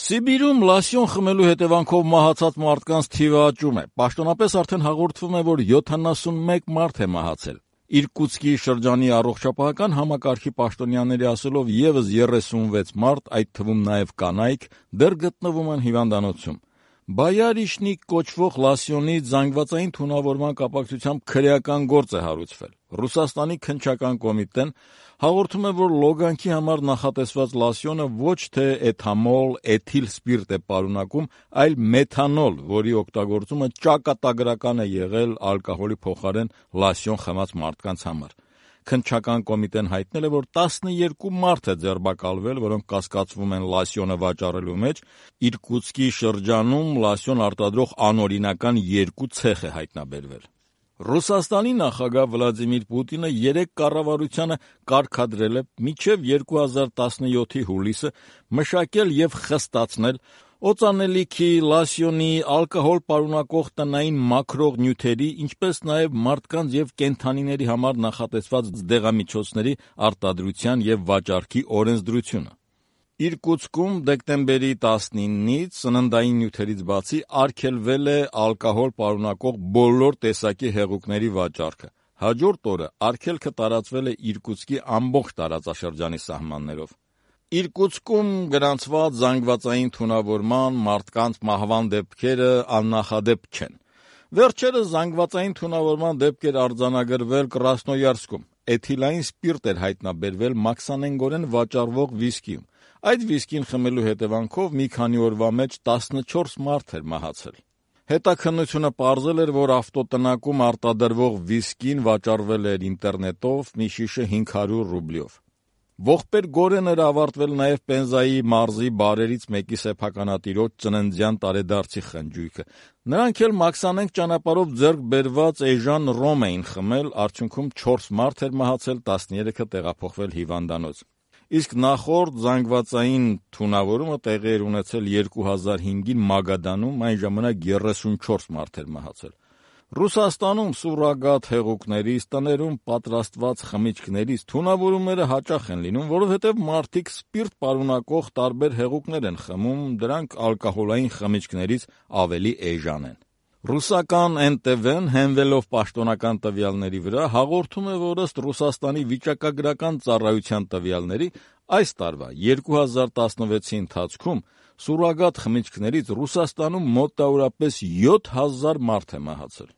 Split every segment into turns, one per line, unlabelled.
Սիբիրում լասյոն խմելու հետևանքով մահացած մարդկանց թիվը աճում է։ Պաշտոնապես արդեն հաղորդվում է, որ 71 մարդ է մահացել։ Իրկուտսկի շրջանի առողջապահական համակարգի պաշտոնյաների ասելով եւս 36 մարդ, այդ թվում նաեւ կանայք, դեռ գտնվում են հիվանդանոցում։ Բայարիշնիկ կոչվող լասյոնից զանգվածային թունավորման կապակցությամբ քրեական գործ է հարուցվել։ Ռուսաստանի քննչական կոմիտեն հաղորդում է, որ լոգանքի համար նախատեսված լասյոնը ոչ թե էթամոլ, էթիլ սպիրտ է պարունակում, այլ մեթանոլ, որի օգտագործումը ճակատագրական է եղել ալկոհոլի փոխարեն լասյոն խմած մարդկանց համար։ Քննչական կոմիտեն հայտնել է, որ 12 մարդ է ձերբակալվել, որոնք կասկածվում են լասյոնը վաճառելու մեջ։ Իրկուտսկի շրջանում լասյոն արտադրող անօրինական 2 ցեխ է հայտնաբերվել։ Ռուսաստանի նախագահ Վլադիմիր Պուտինը 3 կառավարությանը կարգադրել է մինչև 2017-ի հուլիսը մշակել եւ խստացնել օծանելիքի, լասյոնի, ալկոհոլ պարունակող տնային մաքրող նյութերի, ինչպես նաև մարդկանց եւ կենդանիների համար նախատեսված դեղամիջոցների արտադրության եւ վաճառքի օրենսդրությունը։ Իրկուտսկում դեկտեմբերի 19-ից սննդային նյութերից բացի արգելվել է ալկոհոլ պարունակող բոլոր տեսակի հեղուկների վաճառքը։ Հաջորդ օրը արգելքը տարածվել է Իրկուտսկի ամբողջ տարածաշրջանի սահմաններով։ Իրկուտսկում գրանցված զանգվածային թունավորման, մարդկանց մահվան դեպքերը աննախադեպ չեն։ Վերջերս զանգվածային թունավորման դեպք էր արձանագրվել Կրասնոյարսկում։ Էթիլային սպիրտ էր հայտնաբերվել մաքսանենգորեն վաճառվող վիսկիում։ Այդ վիսկին խմելու հետևանքով մի քանի օրվա մեջ 14 մարդ էր մահացել։ Հետաքննությունը պարզել էր, որ ավտոտնակում արտադրվող վիսկին վաճառվել էր ինտերնետով մի շիշը 500 ռուբլիով։ Ողբեր-գորեն էր ավարտվել նաև Պենզայի մարզի բարերից մեկի սեփականատիրոջ ծննդյան տարեդարձի խնջույքը։ Նրանք էլ մաքսանենգ ճանապարհով ձեռք բերված էժան ռոմ էին խմել, արդյունքում 4 մարդ էր մահացել, 13-ը տեղափոխվել հիվանդանոց։ Իսկ նախորդ զանգվածային թունավորումը տեղի էր ունեցել 2005-ին Մագադանում, այն ժամանակ 34 մարդ էր մահացել։ Ռուսաստանում սուրրոգատ հեղուկներից, տներում պատրաստված խմիչքներից թունավորումները հաճախ են լինում, որովհետև մարդիկ սպիրտ պարունակող տարբեր հեղուկներ են խմում, դրանք ալկոհոլային խմիչքներից ավելի էժան են։ Ռուսական NTV-ն հենվելով պաշտոնական տվյալների վրա հաղորդում է, որ ըստ Ռուսաստանի վիճակագրական ծառայության տվյալների այս տարվա 2016-ի ընթացքում սուրրոգատ խմիչքներից Ռուսաստանում մոտավորապես 7000 մարդ է մահացել։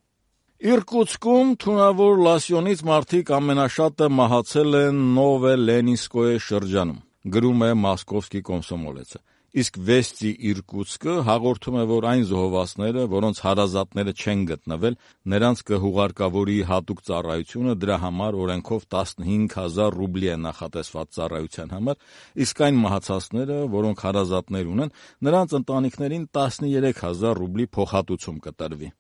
Իրկուտսկում թունավոր լասյոնից մարդիկ ամենաշատը մահացել են Նովելենինսկոյե շրջանում, գրում է Մոսկովսկի Կոմսոմոլեցը։ Իսկ Վեստի Իրկուտսկը հաղորդում է, որ այն զոհվածները, որոնց հարազատները չեն գտնվել, նրանց կհուղարկավորի հատուկ ծառայությունը, դրա համար օրենքով 15000 ռուբլի է նախատեսված ծառայության համար, իսկ այն մահացածները, որոնք հարազատներ ունեն, նրանց ընտանիքներին 13000 ռուբլի փոխհատուցում կտրվի։